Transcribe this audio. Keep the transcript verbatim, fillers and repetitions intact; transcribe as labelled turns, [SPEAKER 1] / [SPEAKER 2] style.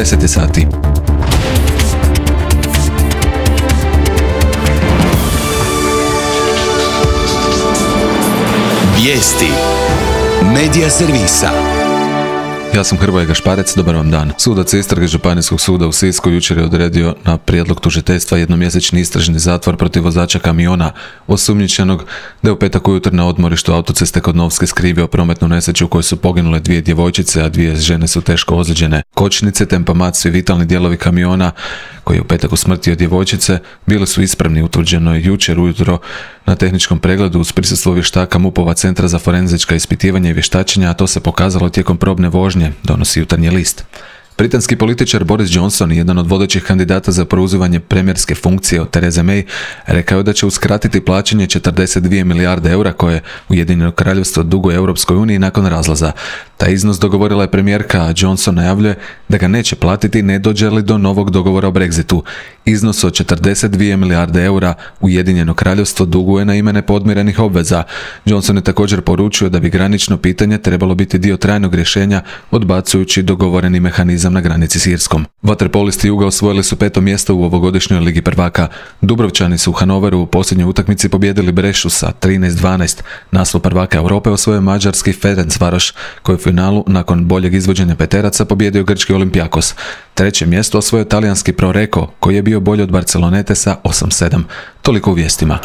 [SPEAKER 1] deset je sati.
[SPEAKER 2] Vijesti Medija servisa.
[SPEAKER 1] Ja sam Hrvoje Gašparec, dobar vam dan. Sudac istrage Županijskog suda u Sisku jučer je odredio na prijedlog tužiteljstva jednomjesečni istražni zatvor protiv vozača kamiona osumnjičenog da je u petak ujutro na odmorištu autoceste kod Novske skrivio prometnu nesreću u kojoj su poginule dvije djevojčice, a dvije žene su teško ozlijeđene. Kočnice, tempomat, svi vitalni dijelovi kamiona koji je u petak usmrtio djevojčice bili su ispravni, utvrđeno je jučer ujutro na tehničkom pregledu uz prisustvo vještaka MUP-ova Centra za forenzička ispitivanja i vještačenja, a to se pokazalo tijekom probne vožnje, donosi Jutarnji list. Britanski političar Boris Johnson, jedan od vodećih kandidata za preuzimanje premijerske funkcije od Therese May, rekao je da će uskratiti plaćanje četrdeset dvije milijarde eura koje Ujedinjeno Kraljevstvo duguje Europskoj uniji nakon razlaza. Taj iznos dogovorila je premijerka, a Johnson najavljuje da ga neće platiti ne dođe li do novog dogovora o Brexitu. Iznos od četrdeset dvije milijarde eura Ujedinjeno Kraljevstvo duguje na ime nepodmirenih obveza. Johnson je također poručio da bi granično pitanje trebalo biti dio trajnog rješenja, odbacujući dogovoreni mehanizam na granici s Irskom. Vaterpolisti Juga osvojili su peto mjesto u ovogodišnjoj Ligi prvaka. Dubrovčani su u Hanoveru u posljednjoj utakmici pobijedili Brešu sa trinaest dvanaest. Naslov prvaka Europe osvojio mađarski Ferencvaroš, koji je u finalu nakon boljeg izvođenja peteraca pobijedio grčki Olympiakos. Treće mjesto osvojio talijanski Proreko, koji je bio bolji od Barcelonete sa osam sedam. Toliko u vijestima.